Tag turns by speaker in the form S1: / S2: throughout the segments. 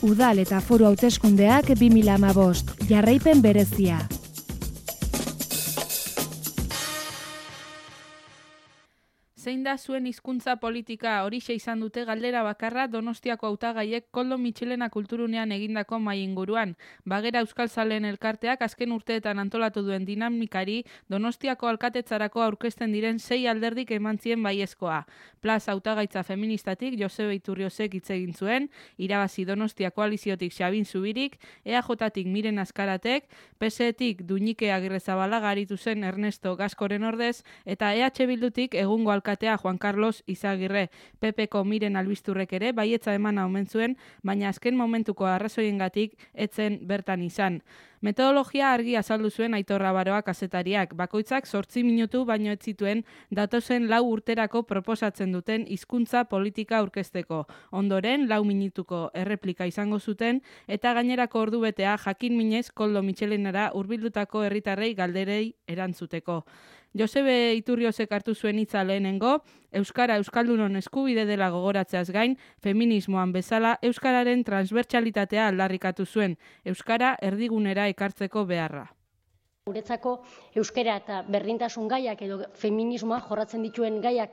S1: Udal eta foru hauteskundeak 2015, jarraipen berezia.
S2: Zein da zuen hizkuntza politika? Horixe izan dute galdera bakarra Donostiako hautagaiek Koldo Mitxelena kulturunean egindako mahai inguruan. Bagera Euskaltzaleen elkarteak azken urteetan antolatu duen dinamikari Donostiako alkatetzarako aurkezten diren 6 alderdik emantzien baiezkoa. Plaza hautagaitza feministatik Josebe Iturriozek hitz egin zuen, irabazi Donostia koaliziotik Xabin Zubirik, EAJtik Miren Azkaratek, PSEtik Duñike Agirrezabalaga aritu zen Ernesto Gaskoren ordez, eta EH Bildutik egungo alkatea Juan Carlos Izagirre. PPko Miren Albisturrek ere baietza emana omen zuen, baina azken momentuko arrazoiengatik etzen bertan izan. Metodologia argi azaldu zuen Aitor Rabaroa kazetariak, bakoitzak 8 minutu baino ez zituen datozen 4 urterako proposatzen duten hizkuntza politika aurkezteko. Ondoren 4 minutuko erreplika izango zuten eta gainerako ordubetea jakin minez Koldo Mitxelenara hurbildutako herritarrei galderei erantzuteko. Josebe Iturriozek hartu zuen hitza lehenengo, Euskara Euskaldunon eskubide dela gogoratzeaz gain, feminismoan bezala Euskararen transbertsalitatea aldarrikatu zuen, Euskara erdigunera ekartzeko beharra.
S3: Guretzako euskara eta berdintasun gaiak edo feminismoa jorratzen dituen gaiak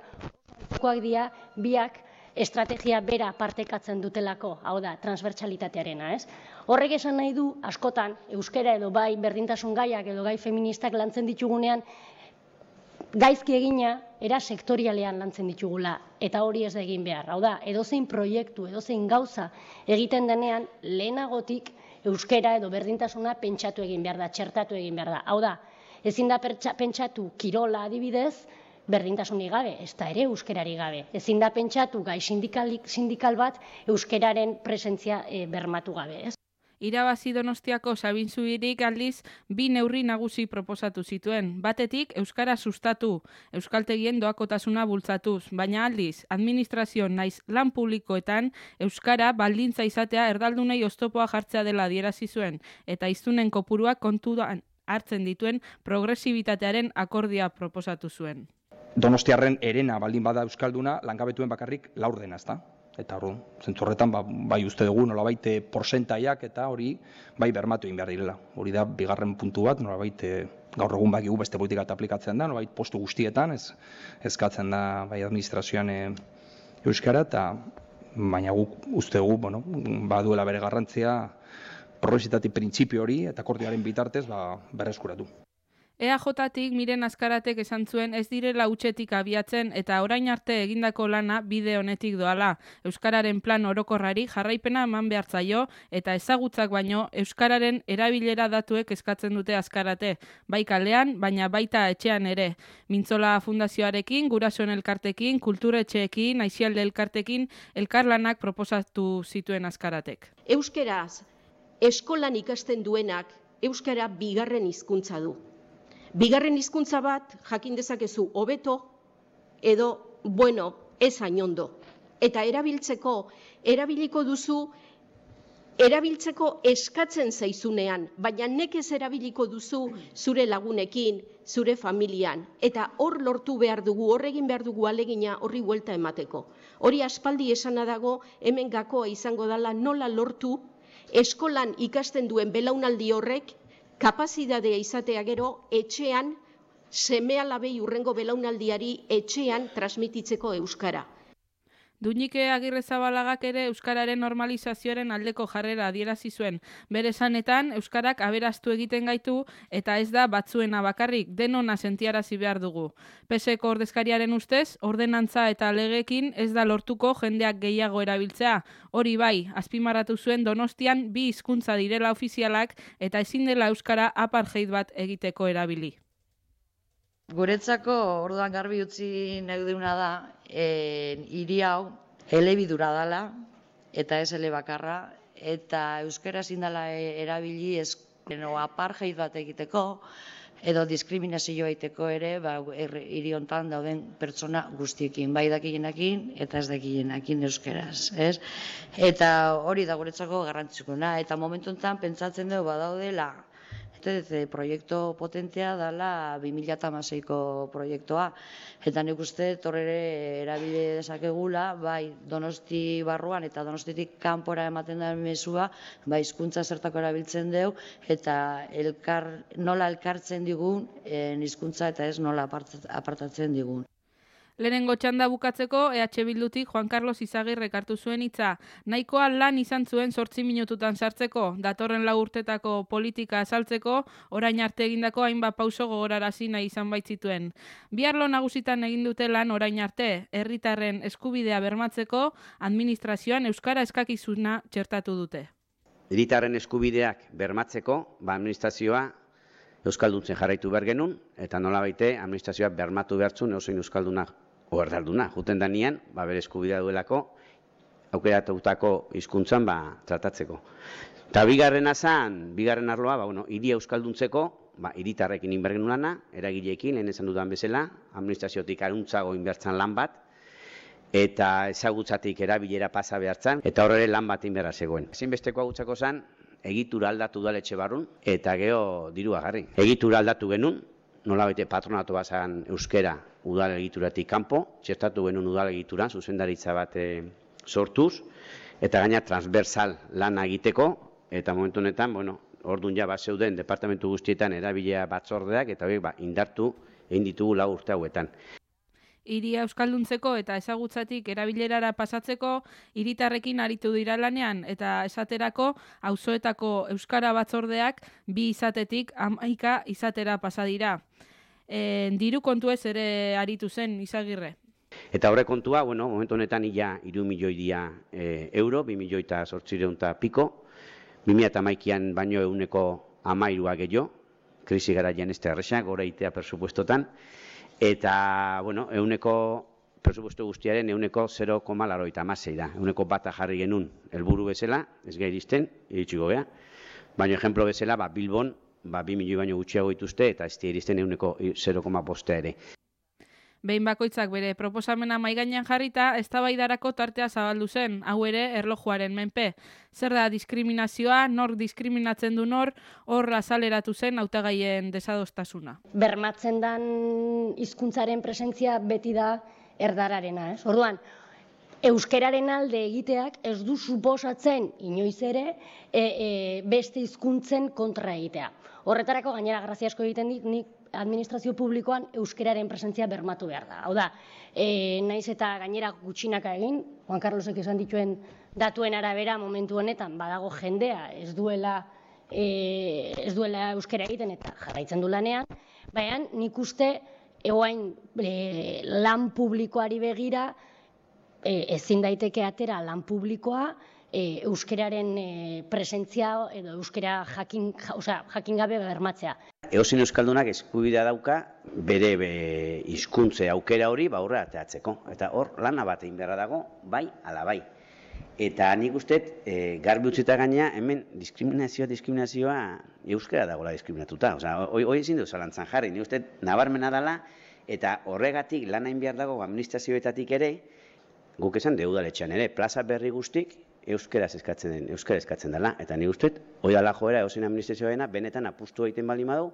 S3: dira biak estrategia bera partekatzen dutelako, hau da, transbertsalitatearena, ez? Horrek esan nahi du, askotan, euskara edo bai berdintasun gaiak edo gai feministak lantzen ditugunean, gaizki egina, era sektorialean lantzen ditugula, eta hori ez da egin behar. Hau da, edozein proiektu, edozein gauza egiten denean, lehenagotik euskara edo berdintasuna pentsatu egin behar da, txertatu egin behar da. Hau da, ezin da pentsatu kirola adibidez, berdintasunik gabe, ez da ere euskarari gabe. Ezin da pentsatu gai sindikal bat euskararen presentzia bermatu gabe, ez?
S2: Irabazi Donostiako Xabin Zubirik aldiz 2 neurri nagusi proposatu zituen. Batetik, euskara sustatu, euskaltegien doakotasuna bultzatuz, baina aldiz, administrazio naiz lan publikoetan euskara baldintza izatea erdaldunei oztopoa jartzea dela adierazi zuen, eta hiztunen kopuruak kontuan hartzen dituen progresibitatearen akordia proposatu zuen.
S4: Donostiarren herena baldin bada euskalduna, langabetuen bakarrik 4 dena, ezta? Eta hori, zentzu horretan, bai uste dugu nolabait porcentaiak eta hori bai bermatu egin behar direla. Hori da, bigarren puntu bat, nolabait gaur egun bakigu beste politika eta aplikatzen da, nolabait postu guztietan, eskatzen da bai administrazioan euskara, eta baina guk uste dugu, baduela bere garrantzia progresitatik printzipio hori eta akordioaren bitartez berreskuratu.
S2: EAJtik Miren Azkaratek esan zuen ez direla hutsetik abiatzen eta orain arte egindako lana bide honetik doala. Euskararen plan orokorrari jarraipena eman behar zaio eta ezagutzak baino euskararen erabilera datuek eskatzen dute Azkarate. Bai kalean, baina baita etxean ere. Mintzola Fundazioarekin, Gurasoen Elkartekin, Kulturetxeekin, Aizialde Elkartekin, elkarlanak proposatu zituen Azkaratek.
S5: Euskaraz eskolan ikasten duenak euskara bigarren hizkuntza du. Bigarren hizkuntza bat jakin dezakezu hobeto edo ez hain ondo. Eta erabiliko duzu erabiltzeko eskatzen zaizunean, baina nekez erabiliko duzu zure lagunekin, zure familian. Eta hor lortu behar dugu, hor egin behar dugu alegina horri buelta emateko. Hori aspaldi esana dago, hemen gakoa izango dela nola lortu eskolan ikasten duen belaunaldi horrek kapazitatea izatea gero etxean seme-alabei hurrengo belaunaldiari etxean transmititzeko euskara.
S2: Duñike Agirrezabalagak ere euskararen normalizazioaren aldeko jarrera adierazi zuen. Bere esanetan, euskarak aberastu egiten gaitu eta ez da batzuena bakarrik, denona sentiarazi behar dugu. PSeko ordezkariaren ustez, ordenantza eta legekin ez da lortuko jendeak gehiago erabiltzea. Hori bai, azpimarratu zuen Donostian 2 hizkuntza direla ofizialak eta ezin dela euskara apartheid bat egiteko erabili.
S6: Guretzako orduan garbi utzi nahi duguna da, hiri hau elebidura dela eta ez elebakarra, eta euskara ezin dela erabili apartheid bat egiteko edo diskriminazioa egiteko ere hiri hontan dauden pertsona guztiekin, bai dakienekin eta ez dakienekin euskaraz, ez? Eta hori da guretzako garrantzitsuena, eta momentu honetan pentsatzen dugu badaudela Proiektu potentea dela 2016ko proiektua, eta nik uste torrere erabide dezakegula, bai Donosti barruan eta Donostitik kanpora ematen da mezua, bai hizkuntza zertako erabiltzen deu, eta nola elkartzen digun hizkuntza eta ez nola apartatzen digun.
S2: Lehenengo txanda bukatzeko, EH Bildutik Juan Carlos Izagirrek hartu zuen hitza. Nahikoa lan izan zuen 8 minututan sartzeko, datorren 4 urtetako politika azaltzeko, orain arte egindako hainbat pauso gogorarazi nahi izan baitzituen. Bi arlo nagusitan egin dute lan orain arte, herritarren eskubidea bermatzeko, administrazioan euskara eskakizuna txertatu dute.
S7: Herritarren eskubideak bermatzeko, administrazioa euskalduntzen jarraitu behar genuen, eta nolabaite administrazioa bermatu behartzun eusein euskaldunak o erdalduna. Juten danean, bere eskubidea duelako, aukeratutako hizkuntzan tratatzeko. Eta bigarren arloa, hiria euskalduntzeko, hiritarrekin inber genuen lana, eragileekin, lehen esan dudan bezala, administraziotik aruntzago inbertzan lan bat, eta ezagutzatik erabilera pasa behartzan, eta horre lan bat inberra zegoen. Ezinbesteko agutzako zen, egitura aldatu udaletxe barrun, eta geho dirua garri. Egitura aldatu genuen, nolabete patronatu bazan euskera udal egituratik kanpo, txertatu genuen udal egituran, zuzendaritza bat sortuz, eta gaina transversal lana egiteko, eta momentu honetan, orduan ja zeuden departamentu guztietan erabilea batzordeak, eta horiek indartu egin ditugu 4 urte hauetan.
S2: Hiria euskalduntzeko eta ezagutzatik erabilerara pasatzeko hiritarrekin aritu dira lanean eta esaterako auzoetako euskara batzordeak 2 izatetik 11 izatera pasa dira. Diru kontuez ere aritu zen Izagirre.
S7: Eta horre kontua, momentu honetan ia 3 milioi dira euro, 2 milioi eta 800 piko, 2011an baino 13% gehiago, krisi garaian ez da erresa, gora itea presupuestotan, eta, presupuesto guztiaren 0,86 da. 1 jarri genuen helburu bezala, ez gai iristen, iritsiko gea. Baina, ejemplo bezala, Bilbon, 2 milioi baino gutxiago dituzte, eta ez iristen 0,5 ere.
S2: Behin bakoitzak bere proposamena maigainan jarrita, eztabaidarako tartea zabaldu zen, hau ere erlojuaren menpe. Zer da diskriminazioa, nor diskriminatzen du nor, hor azaleratu zen hautagaien desadostasuna.
S3: Bermatzen den hizkuntzaren presentzia beti da erdararena, ez? Orduan, euskeraren alde egiteak ez du suposatzen inoiz ere beste hizkuntzen kontra egitea. Horretarako gainera grazia asko egiten dit, nik administrazio publikoan euskeraren presentzia bermatu behar da. Hau da, naiz eta gainera gutxinaka egin, Juan Carlosek esan dituen datuen arabera momentu honetan badago jendea ez duela euskera egiten eta jarraitzen du lanean, baina nik uste egoain lan publikoari begira ezin daiteke atera lan publikoa euskeraren presentzia edo euskera jakin gabe bermatzea.
S7: Edozein euskaldunak eskubidea dauka bere hizkuntze aukera hori aurrera ateratzeko. Eta hor lana bat egin beharra dago, bai ala bai. Eta nik uste garbi utzita gaina hemen diskriminazioa euskera dagoela diskriminatuta. Hoi ezin dut zalantzan jarri, nik uste nabarmena dela eta horregatik lan egin behar dago administrazioetatik ere, guk esan udaletxean ere, plaza berri guztik euskara eskatzen dela. Eta nik uste, hoi dala joera edozein administrazioa benetan apustu egiten baldin badu.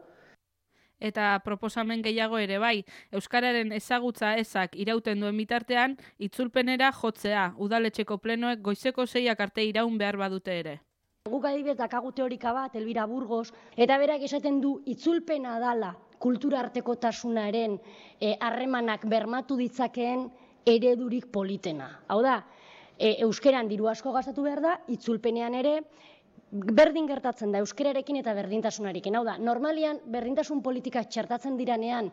S2: Eta proposamen gehiago ere bai, euskararen ezagutza ezak irauten duen bitartean, itzulpenera jotzea, udaletxeko plenoek goizeko 6 arte iraun behar badute ere.
S3: Guk adibidez dakagu teorika bat, Elvira Burgos, eta berak esaten du itzulpena dala kultura artekotasunaren harremanak bermatu ditzakeen eredurik politena. Hau da, euskeran diru asko gastatu behar da, itzulpenean ere, berdin gertatzen da euskerarekin eta berdintasunarekin. Hau da, normalian berdintasun politika txertatzen diranean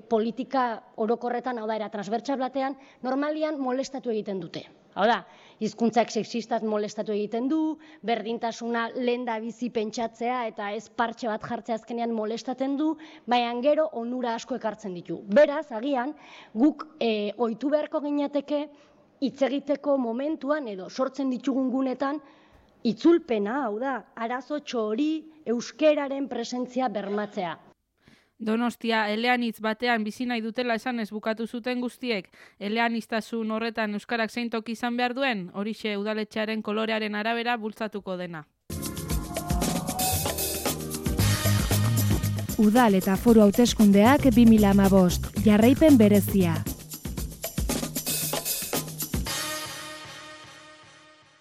S3: politika orokorretan, hau da, era transbertsal batean, normalian molestatu egiten dute. Hau da, hizkuntzak sexistaz molestatu egiten du, berdintasuna lenda bizi pentsatzea eta ez partxe bat jartzea azkenean molestatzen du, baina gero onura asko ekartzen ditu. Beraz, agian, guk ohitu beharko ginateke hitz egiteko momentuan edo sortzen ditugun gunetan itzulpena, hau da, arazotxo hori euskeraren presentzia bermatzea.
S2: Donostia eleanitz batean bizi nahi dutela esan ez bukatu zuten guztiek, eleaniztasun horretan euskarak zein toki izan behar duen, horixe udaletxearen kolorearen arabera bultzatuko dena.
S1: Udal eta foru hauteskundeak 2015, jarraipen berezia.